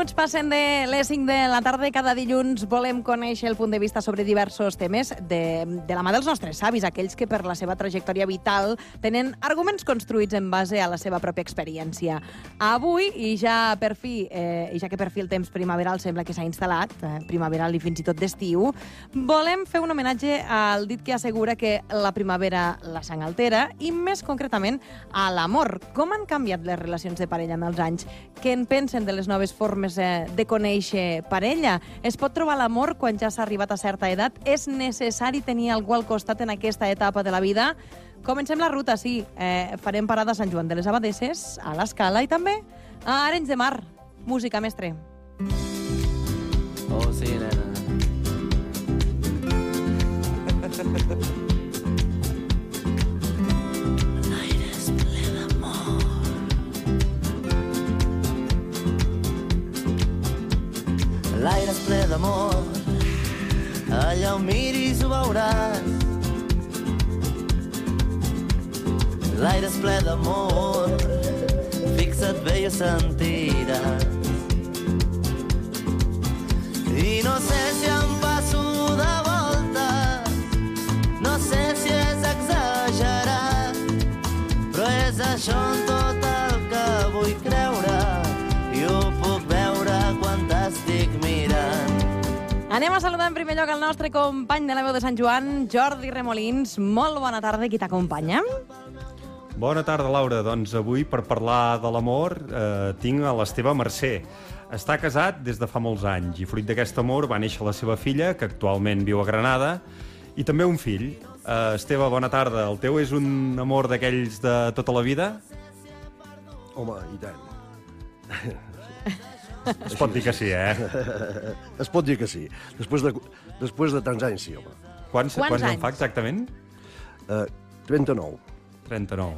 minuts passen de les 5 de la tarda. Cada dilluns volem conèixer el punt de vista sobre diversos temes de la mà dels nostres savis, aquells que per la seva trajectòria vital tenen arguments construïts en base a la seva pròpia experiència. Avui, i ja que per fi el temps primaveral sembla que s'ha instal·lat, primaveral i fins i tot d'estiu, volem fer un homenatge al dit que assegura que la primavera la sang altera i, més concretament, a l'amor. Com han canviat les relacions de parella amb els anys? Què en pensen de les noves formes de conèixer parella? Es pot trobar l'amor quan ja s'ha arribat a certa edat? És necessari tenir algú al costat en aquesta etapa de la vida? Comencem la ruta, sí. Farem parada a Sant Joan de les Abadesses, a l'Escala i també a Arenys de Mar. Música, mestre. Oh, sí, nena. L'aire és ple d'amor, allà on miris ho veuràs. L'aire és ple d'amor, fixa't bé i ho sentiràs. I no sé si em passo de volta, no sé si és exagerat, però és això en tot el que vull creure i ho puc veure quan t'estic mirant. Anem a saludar en primer lloc el nostre company de la veu de Sant Joan, Jordi Remolins. Molt bona tarda, qui t'acompanya? Bona tarda, Laura. Doncs avui, per parlar de l'amor, tinc a l'Esteve Mercè. Està casat des de fa molts anys i fruit d'aquest amor va néixer la seva filla, que actualment viu a Granada, i també un fill. Esteve, bona tarda. El teu és un amor d'aquells de tota la vida? Home, i tant. Es pot dir que sí, eh? Es pot dir que sí. Després de tants anys, sí, home. Quants anys? en fa exactament? 39. 39.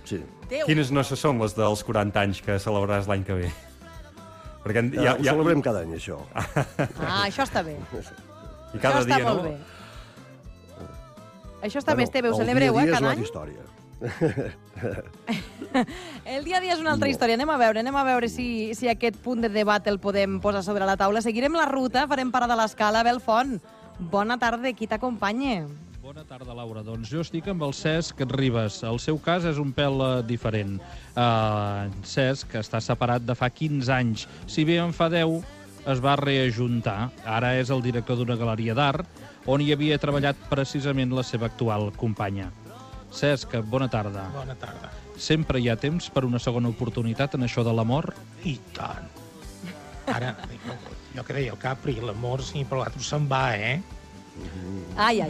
Sí. Déu. Quines no són les dels 40 anys que celebraràs l'any que ve? Perquè Ho celebrem cada any, això. Ah, això està bé. I cada això està dia, molt no? bé. Això està bé, Esteve, ho celebreu, cada any? El dia a dia és una altra història. El dia a dia és una altra història. Anem a veure si aquest punt de debat el podem posar sobre la taula. Seguirem la ruta, farem parada a l'Escala. Belfont, bona tarda, qui t'acompanya? Bona tarda, Laura. Doncs jo estic amb el Cesc Ribas. El seu cas és un pèl diferent. Cesc està separat de fa 15 anys. Si bé en fa 10, es va reajuntar. Ara és el director d'una galeria d'art on hi havia treballat precisament la seva actual companya. Cesc, bona tarda. Bona tarda. Sempre hi ha temps per una segona oportunitat en això de l'amor? I tant. Ara, jo que deia el Capri, l'amor, sí, però l'altre se'n va, eh? Ai.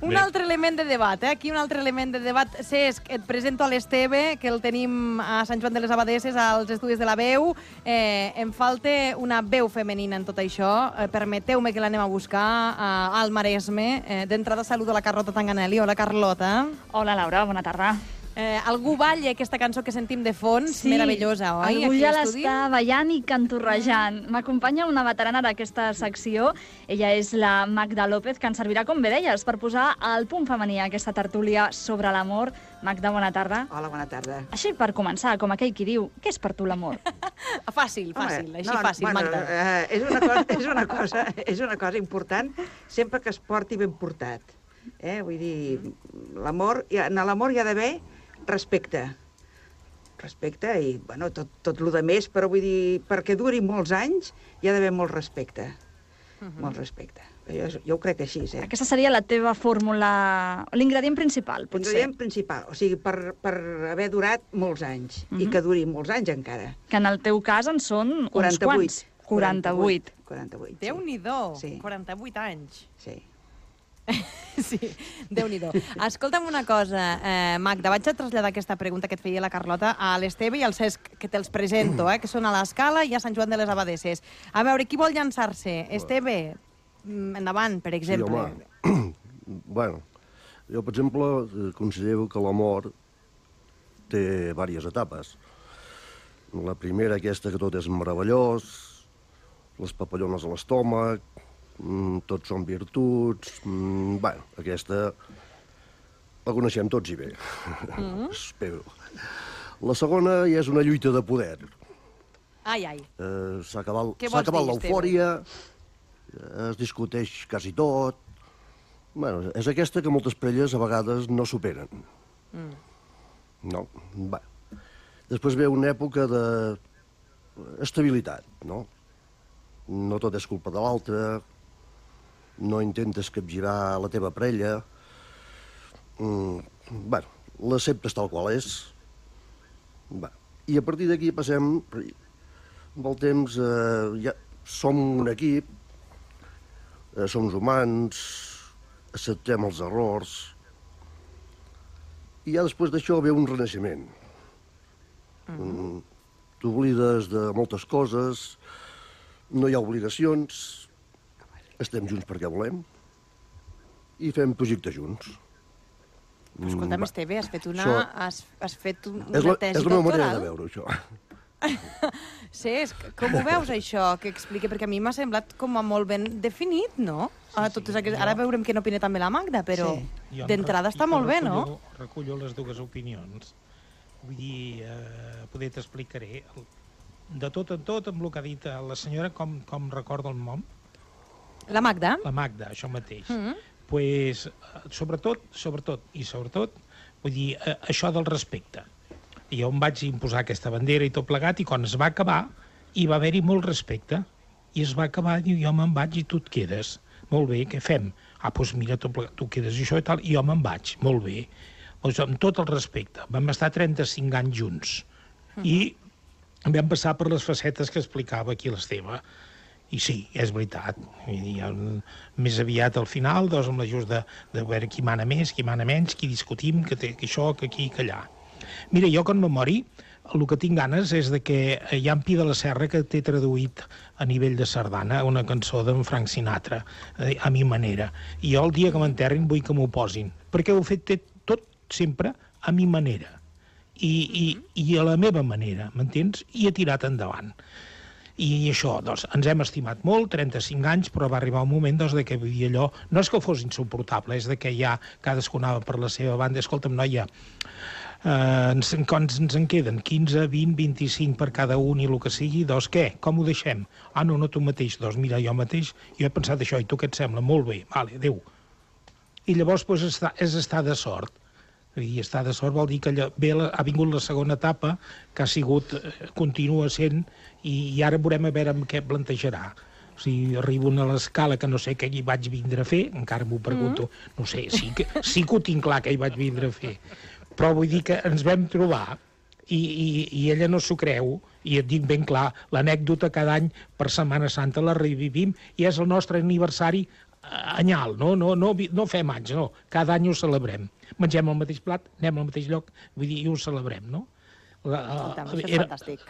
Un altre element de debat, Aquí un altre element de debat. Cesc, et presento a l'Esteve, que el tenim a Sant Joan de les Abadesses, als estudis de la veu. Em falta una veu femenina en tot això. Permeteu-me que l'anem a buscar al Maresme. D'entrada saludo la Carlota Tanganelli. Hola, Carlota. Hola, Laura, bona tarda. Algú balla aquesta cançó que sentim de fons, meravellosa, oi? Algú ja l'està ballant i canturrejant. M'acompanya una veterana d'aquesta secció. Ella és la Magda López, que ens servirà, com bé deies, per posar el punt femení a aquesta tertúlia sobre l'amor. Magda, bona tarda. Hola, bona tarda. Així, per començar, com aquell qui diu, què és per tu l'amor? Fàcil, Magda. És una cosa important sempre que es porti ben portat. Vull dir, en l'amor hi ha d'haver respecte i, bueno, tot el més, però vull dir, perquè duri molts anys hi ha d'haver molt respecte. Molt respecte. Jo ho crec així, Aquesta seria la teva fórmula, l'ingredient principal, potser. L'ingredient principal, o sigui, per haver durat molts anys, i que duri molts anys encara. Que en el teu cas en són 48. Uns quants. 48. Déu-n'hi-do, sí. 48 anys. Sí. Sí, Déu-n'hi-do. Escolta'm una cosa, Magda, vaig a traslladar aquesta pregunta que et feia la Carlota a l'Esteve i al Cesc, que te'ls presento, que són a l'Escala i a Sant Joan de les Abadesses. A veure, qui vol llançar-se? Esteve, endavant, per exemple. Sí, home. Bueno, jo, per exemple, considero que l'amor té diverses etapes. La primera, aquesta que tot és meravellós, les papallones a l'estómac, tots són virtuts. Bueno, aquesta la coneixem tots i bé. Espero. La segona ja és una lluita de poder. Ai, ai. S'ha acabat Què vols dir, l'eufòria, es discuteix quasi tot. Bueno, és aquesta que moltes parelles a vegades no superen. No? Va. Després ve una època d'estabilitat, no? No tot és culpa de l'altre, no intentes capgirar la teva parella. Bueno, l'acceptes tal qual és. Va. I a partir d'aquí passem, amb el temps, ja som un equip, som humans, acceptem els errors, i ja després d'això ve un renaixement. T'oblides de moltes coses, no hi ha obligacions, estem junts perquè volem i fem projectes junts. Però escolta'm, Esteve, has fet una tesi doctoral? És la meva manera de veure això. Cesc, com ho veus, això, que expliqui? Perquè a mi m'ha semblat com a molt ben definit, no? Ara veurem què n'opina també la Magda, però d'entrada està molt bé, no? Recullo les dues opinions. Vull dir, poder t'explicaré. De tot en tot, amb el que ha dit la senyora, com recorda el nom? La Magda? La Magda, això mateix. Pues, sobretot, vull dir, això del respecte. Jo em vaig imposar aquesta bandera i tot plegat, i quan es va acabar, hi va haver-hi molt respecte. I es va acabar, diu, jo me'n vaig i tu et quedes. Molt bé, què fem? Doncs mira, tot plegat, tu quedes i això i tal, i jo me'n vaig, molt bé. Doncs amb tot el respecte. Vam estar 35 anys junts. I vam passar per les facetes que explicava aquí l'Esteve. I sí, és veritat. Més aviat al final, doncs, amb l'ajust de veure qui mana més, qui mana menys, qui discutim, que això, que aquí, que allà. Mira, jo quan me mori, el que tinc ganes és de que hi ha en Pi de la Serra que té traduït a nivell de sardana una cançó d'en Frank Sinatra, a mi manera. I jo el dia que m'enterrin vull que m'ho posin, perquè ho he fet tot sempre a mi manera. I a la meva manera, m'entens? I he tirat endavant. I això, doncs, ens hem estimat molt, 35 anys, però va arribar un moment doncs, de que allò, no és que fos insuportable, és de que ja cadascú anava per la seva banda. Escolta'm, noia, ens en queden 15, 20, 25 per cada un i el que sigui, doncs què? Com ho deixem? No, tu mateix. Doncs mira, jo mateix, jo he pensat això, i tu què et sembla? Molt bé, vale, adéu. I llavors doncs, és estar de sort. I estar de sort vol dir que ha vingut la segona etapa, que ha sigut, continua sent, i ara veurem a veure amb què plantejarà. O sigui, arribo a l'escala que no sé què hi vaig vindre a fer, encara m'ho pregunto, no sé, sí que ho tinc clar que hi vaig vindre a fer, però vull dir que ens vam trobar i ella no s'ho creu, i et dic ben clar, l'anècdota cada any per Setmana Santa la revivim i és el nostre aniversari anyal, no fem anys, no, cada any ho celebrem. Mengem el mateix plat, anem al mateix lloc, vull dir, i ho celebrem, no?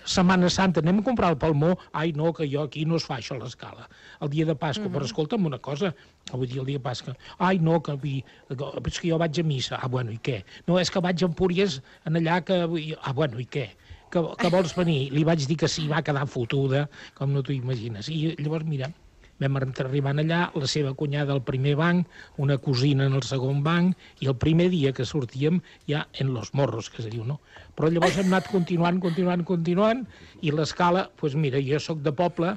Setmana Santa, anem a comprar el palmó, ai no, que jo aquí no es fa això a l'escala. El dia de Pasqua, però escolta'm una cosa, vull dir, el dia de Pasqua, ai no, és que jo vaig a missa, bueno, i què? No, és que vaig a Empúries, en allà que, bueno, i què? Que vols venir? Li vaig dir que sí, va quedar fotuda, com no t'ho imagines. I llavors, mira, vam arribar allà, la seva cunyada al primer banc, una cosina en el segon banc, i el primer dia que sortíem ja en los morros, que se diu, no? Però llavors hem anat continuant, i l'escala, doncs mira, jo sóc de poble,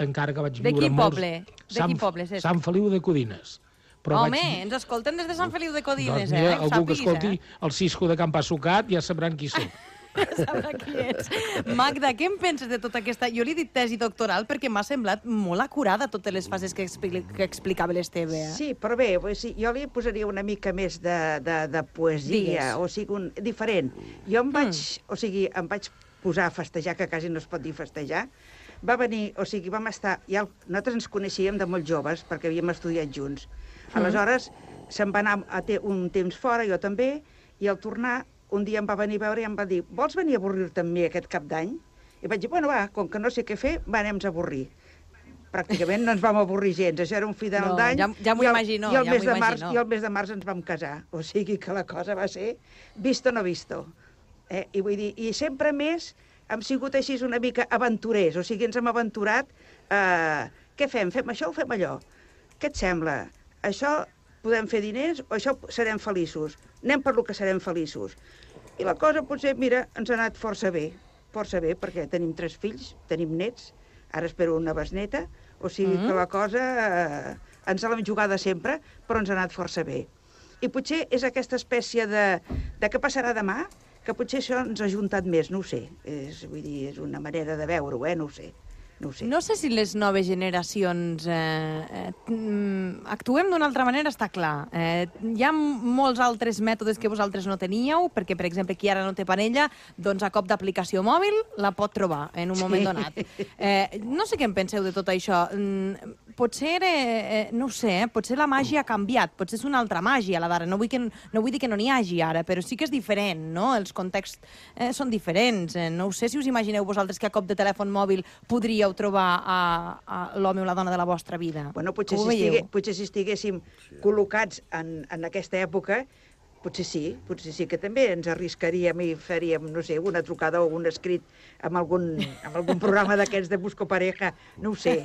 encara que vaig viure molts... De quin poble? Sant Feliu de Codines. Home, ens escolten des de Sant Feliu de Codines, doncs mira, algú que escolti el Cisco de Can Passucat ja sabran qui soc. Sabrà qui ets. Magda, què en penses de tota aquesta... Jo li he dit tesi doctoral perquè m'ha semblat molt acurada totes les fases que explicava l'Esteve. Sí, però bé, jo li posaria una mica més de poesia, o sigui, diferent. Jo em vaig posar a festejar, que quasi no es pot dir festejar. Va venir, o sigui, vam estar... Nosaltres ens coneixíem de molt joves, perquè havíem estudiat junts. Aleshores, se'n va anar un temps fora, jo també, i al tornar un dia em va venir a veure i em va dir vols venir a avorrir-te amb mi aquest cap d'any? I vaig dir, bueno, va, com que no sé què fer, anem-nos a avorrir. Pràcticament no ens vam avorrir gens, això era un final d'any. Ja m'ho imagino, I el mes de març ens vam casar. O sigui que la cosa va ser visto no visto. I vull dir, i sempre més hem sigut així una mica aventurers, o sigui, ens hem aventurat, què fem? Fem això o fem allò? Què et sembla? Això podem fer diners o això serem feliços? Anem per lo que serem feliços. I la cosa potser, mira, ens ha anat força bé, perquè tenim 3 fills, tenim nets, ara espero una besneta, o sigui que la cosa ens l'hem jugada sempre, però ens ha anat força bé. I potser és aquesta espècie de què passarà demà, que potser això ens ha juntat més, no ho sé. Vull dir, és una manera de veure-ho, no ho sé. No sé si les noves generacions actuem d'una altra manera, està clar. Hi ha molts altres mètodes que vosaltres no teníeu, perquè, per exemple, qui ara no té parella, doncs a cop d'aplicació mòbil la pot trobar en un moment donat. No sé què en penseu de tot això. Potser, no ho sé, potser la màgia ha canviat, potser és una altra màgia, la d'ara. No vull dir que no n'hi hagi ara, però sí que és diferent, no? Els contexts són diferents. No ho sé si us imagineu vosaltres que a cop de telèfon mòbil podríeu trobar a l'home o la dona de la vostra vida. Bueno, potser si estiguéssim col·locats en aquesta època, potser sí que també ens arriscaríem i faríem, no sé, una trucada o un escrit amb algun programa d'aquests de Busco Pareja, no ho sé.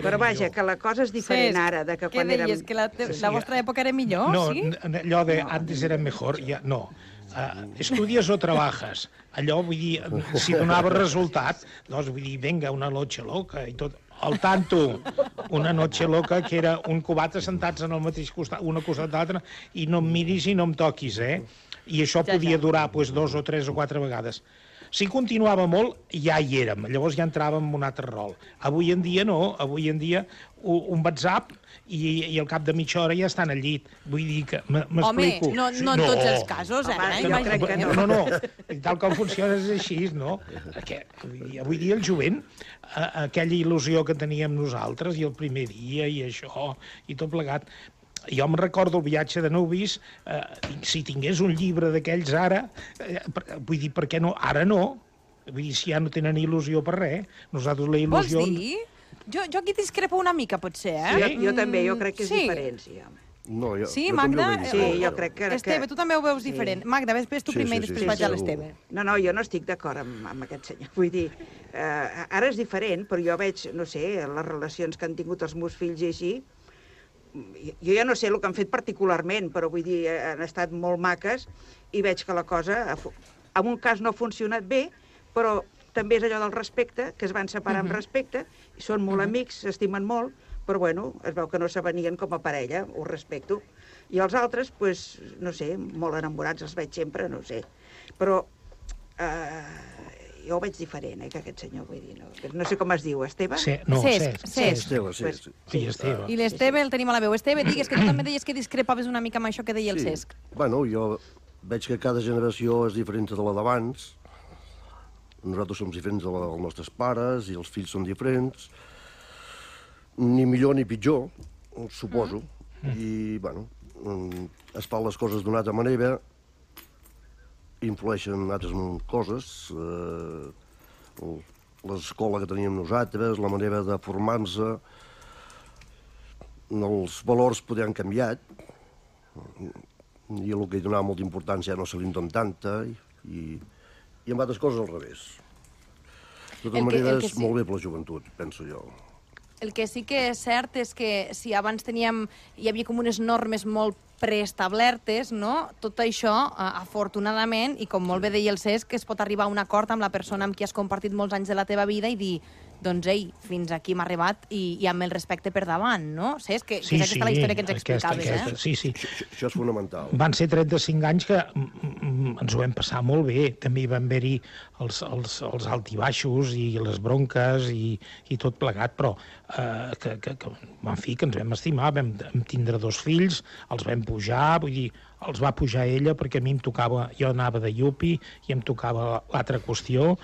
Però vaja, que la cosa és diferent ara de que quan érem... Què deies, que la vostra època era millor, sí? No, allò de antes era mejor, ja no. Estudies o trabajas. Allò, vull dir, si donava resultat, doncs, vull dir, venga, una noche loca i tot. Al tanto, una noche loca que era un cubata sentats en el mateix costat, una costat d'altra, i no em miris i no em toquis, I això podia durar 2 o 3 o 4 vegades. Si continuava molt, ja hi érem. Llavors ja entràvem en un altre rol. Avui en dia no. Avui en dia un WhatsApp i al cap de mitja hora ja estan al llit. Vull dir que m'explico. Home, no en tots els casos, Jo crec que no. No. Tal com funciona és així, no? Avui dia el jovent, aquella il·lusió que teníem nosaltres i el primer dia i això i tot plegat... Jo em recordo el viatge de nuvis, si tingués un llibre d'aquells ara, vull dir, per què no? Ara no. Vull dir, si ja no tenen il·lusió per res. Nosaltres la il·lusió... Vols dir? Jo aquí discrepo una mica, potser, Sí, jo també, jo crec que és diferent, sí, home. No, sí, Magda? Sí, jo crec que... Esteve, tu també ho veus diferent. Magda, ves tu primer i després vaig a l'Esteve. No, jo no estic d'acord amb aquest senyor. Vull dir, ara és diferent, però jo veig, no sé, les relacions que han tingut els meus fills i així, jo ja no sé el que han fet particularment, però vull dir, han estat molt maques i veig que la cosa, en un cas no ha funcionat bé, però també és allò del respecte, que es van separar amb respecte, i són molt amics, s'estimen molt, però bueno, es veu que no s'avenien com a parella, ho respecto. I els altres, doncs, no sé, molt enamorats, els veig sempre, no sé. Però jo ho veig diferent, que aquest senyor, vull dir, no sé com es diu, Esteve? Cesc. Esteve, sí. Sí, Esteve. I l'Esteve el tenim a la veu. Esteve, digues que tu també deies que discrepaves una mica amb això que deia el Cesc. Bueno, jo veig que cada generació és diferent de la d'abans. Nosaltres som diferents dels nostres pares i els fills són diferents. Ni millor ni pitjor, suposo. I, bueno, es fan les coses d'una altra manera, influeixen altres coses, l'escola que teníem nosaltres, la manera de formar-se, els valors poder han canviat, i el que hi donava molta importància ja no se li dona tanta, i amb altres coses al revés. De totes maneres, molt bé per la joventut, penso jo. El que sí que és cert és que si abans hi havia com unes normes molt preestablertes, no? Tot això, afortunadament, i com molt bé deia el Cesc, es pot arribar a un acord amb la persona amb qui has compartit molts anys de la teva vida i dir, doncs, ei, fins aquí m'ha arribat i amb el respecte per davant, no? Cesc, que és aquesta la història que ens explicaves, Sí. Això és fonamental. Van ser 35 anys que ens ho vam passar molt bé. També hi van haver-hi els altibaixos i les bronques i tot plegat, però en fi, que ens vam estimar, vam tindre 2 fills, els vam pujar, vull dir, els va pujar ella perquè a mi em tocava, jo anava de yupi i em tocava l'altra qüestió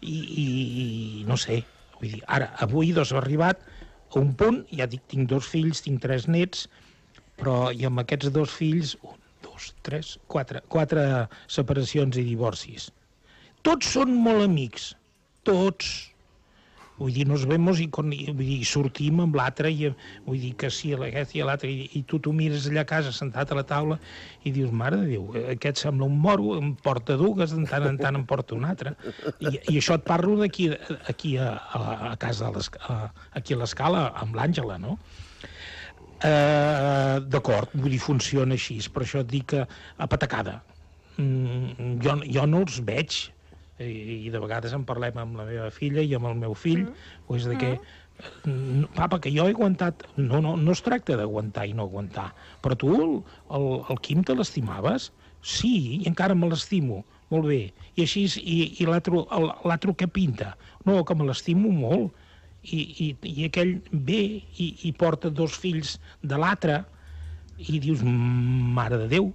i no sé, vull dir, ara, avui ha arribat a un punt, ja dic, tinc 2 fills, tinc 3 nets, però i amb aquests 2 fills, 1, 2, 3, 4 separacions i divorcis. Tots són molt amics, tots. Vull dir, nos vemos i sortim amb l'altre, i vull dir que sí, aquest i l'altre, i tu t'ho mires allà a casa sentat a la taula i dius, mare de Déu, aquest sembla un moro, em porta dues, de tant en tant em porta un altre. I això et parlo d'aquí a casa, aquí a l'Escala, amb l'Àngela, no? D'acord, vull dir, funciona així, per això et dic que a patacada. jo no els veig, i de vegades en parlem amb la meva filla i amb el meu fill, doncs de que papa, que jo he aguantat... No es tracta d'aguantar i no aguantar, però tu el Quim te l'estimaves? Sí, i encara me l'estimo, molt bé. I així, i l'altre que pinta? No, que me l'estimo molt. I aquell ve i porta 2 fills de l'altre i dius, mare de Déu.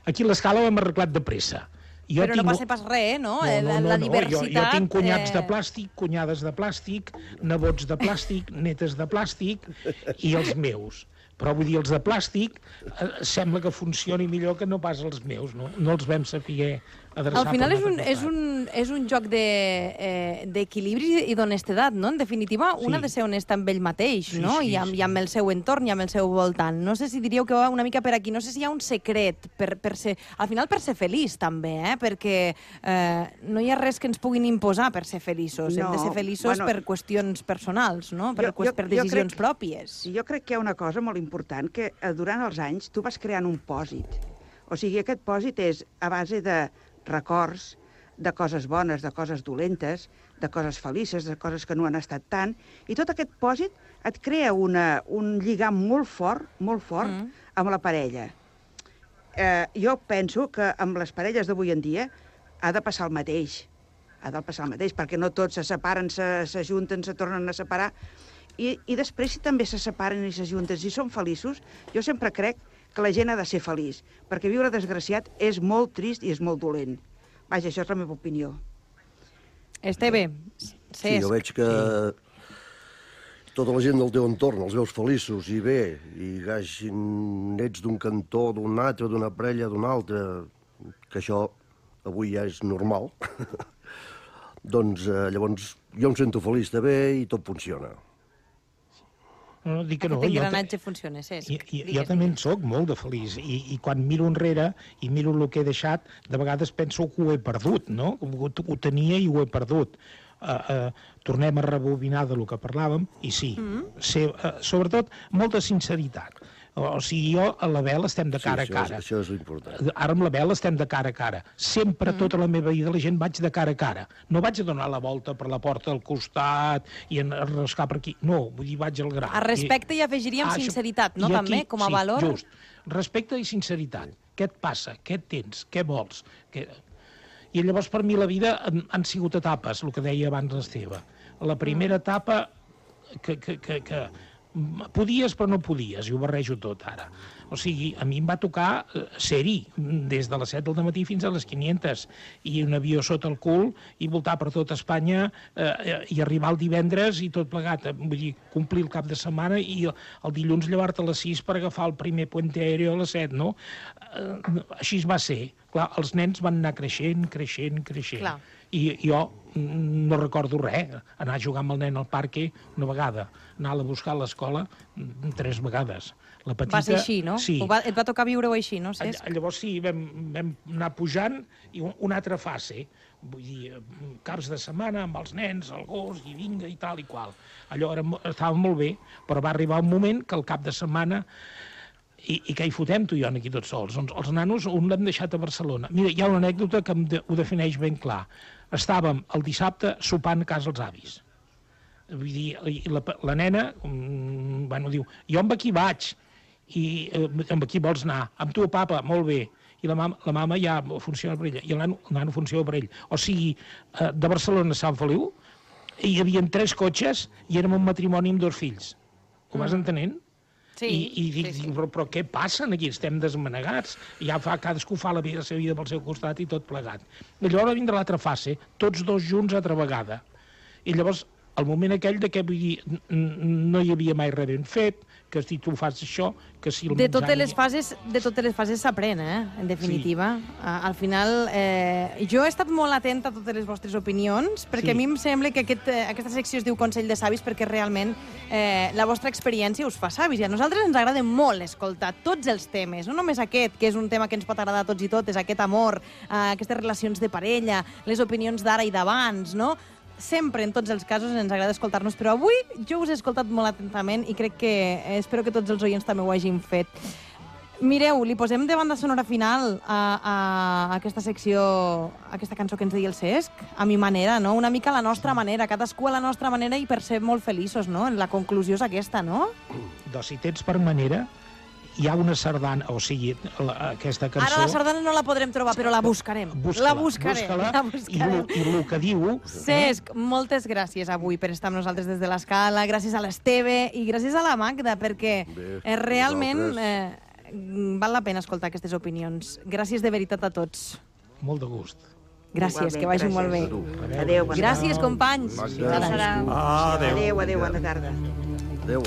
Aquí l'escala ho hem arreglat de pressa. Però no passa pas res, no? La diversitat... Jo tinc cunyats de plàstic, cunyades de plàstic, nebots de plàstic, netes de plàstic i els meus. Però vull dir, els de plàstic sembla que funcioni millor que no pas els meus, no? No els vam saber adreçar. Al final és un joc d'equilibri i d'honestedat, no? En definitiva, un ha de ser honest amb ell mateix, no? I amb el seu entorn i amb el seu voltant. No sé si diríeu que va una mica per aquí. No sé si hi ha un secret per ser... Al final, per ser feliç, també, perquè no hi ha res que ens puguin imposar per ser feliços. Hem de ser feliços per qüestions personals, no? Per decisions pròpies. Jo crec que hi ha una cosa molt important, que durant els anys tu vas creant un pòsit. O sigui, aquest pòsit és a base de records, de coses bones, de coses dolentes, de coses felices, de coses que no han estat tant, i tot aquest pòsit et crea un lligam molt fort amb la parella. Jo penso que amb les parelles d'avui en dia ha de passar el mateix. Ha de passar el mateix, perquè no tots se separen, s'ajunten, se tornen a separar. I després, si també se separen i s'ajunten, si són feliços, jo sempre crec que la gent ha de ser feliç, perquè viure desgraciat és molt trist i és molt dolent. Vaja, això és la meva opinió. Esteve, sí, jo veig que tota la gent del teu entorn els veus feliços i bé, i hagin nets d'un cantó, d'un altre, d'una parella, d'un altre, que això avui ja és normal, doncs llavors jo em sento feliç també i tot funciona. No, dic que no. Aquest engranatge funciona, Cesc. Jo també en soc molt de feliç, i quan miro enrere i miro el que he deixat, de vegades penso que ho he perdut, no? Ho tenia i ho he perdut. Tornem a rebobinar de lo que parlàvem, i sí, sobretot molta sinceritat. O sigui, jo a l'Abel estem de cara a cara. Això és important. Ara amb l'Abel estem de cara a cara. Sempre, tota la meva vida, la gent vaig de cara a cara. No vaig a donar la volta per la porta al costat i enroscar per aquí. No, vull dir, vaig al gra. A respecte hi afegiríem sinceritat, no? També, com a valor? Sí, just. Respecte i sinceritat. Què et passa? Què et tens? Què vols? I llavors, per mi, la vida han sigut etapes, el que deia abans l'Esteve. La primera etapa que podies però no podies, i ho barrejo tot ara. O sigui, a mi em va tocar ser-hi des de les 7 del matí fins a les 500, i un avió sota el cul i voltar per tota Espanya i arribar el divendres i tot plegat. Vull dir, complir el cap de setmana i el dilluns llevar-te a les 6 per agafar el primer puente aéreo a les 7, no? Així va ser. Clar, els nens van anar creixent. Clar. I jo no recordo res, anar a jugar amb el nen al parque una vegada, anar-la a buscar a l'escola 3 vegades. La petita, va ser així, no? Sí. Et va tocar viure-ho així, no, Cesc? Llavors sí, vam anar pujant, i una altra fase, vull dir, caps de setmana amb els nens, el gos, i vinga, i tal i qual. Allò estava molt bé, però va arribar un moment que el cap de setmana i què hi fotem tu i jo aquí tots sols? Els nanos un l'hem deixat a Barcelona. Mira, hi ha una anècdota que ho defineix ben clar. Estàvem el dissabte sopant a casa els avis. Vull dir, la nena, diu, jo amb aquí vaig, i amb aquí vols anar? Amb tu, papa, molt bé. I la mama ja funciona per ella, i el nano funciona per ell. O sigui, de Barcelona a Sant Feliu hi havia 3 cotxes i érem un matrimoni amb 2 fills. Ho vas entenent? Sí, I dic, però què passa aquí? Estem desmanegats. Ja cadascú fa la seva vida pel seu costat i tot plegat. I llavors va vindre l'altra fase, tots 2 junts altra vegada. I llavors, el moment aquell de què, vull dir, no hi havia mai res ben fet, que si tu fas això, que si el de totes les fases s'aprèn, en definitiva. Sí. Al final, jo he estat molt atenta a totes les vostres opinions, perquè a mi em sembla que aquesta secció es diu Consell de Savis perquè realment la vostra experiència us fa savis. I a nosaltres ens agrada molt escoltar tots els temes, no només aquest, que és un tema que ens pot agradar a tots i totes, aquest amor, aquestes relacions de parella, les opinions d'ara i d'abans, no? Sempre, en tots els casos, ens agrada escoltar-nos, però avui jo us he escoltat molt atentament i crec que espero que tots els oients també ho hagin fet. Mireu, li posem de banda sonora final a aquesta secció, a aquesta cançó que ens deia el Cesc, a mi manera, no? Una mica a la nostra manera, cadascú a la nostra manera i per ser molt feliços, no? La conclusió és aquesta, no? Doncs si tens per manera, hi ha una sardana, o sigui, aquesta cançó... Ara la sardana no la podrem trobar, però la buscarem. La buscarem. I el que diu... Cesc, moltes gràcies avui per estar amb nosaltres des de l'Escala, gràcies a l'Esteve i gràcies a la Magda, perquè realment val la pena escoltar aquestes opinions. Gràcies de veritat a tots. Molt de gust. Gràcies, que vagi molt bé. Adéu, bona tarda. Gràcies, companys. Adéu, bona tarda. Adéu.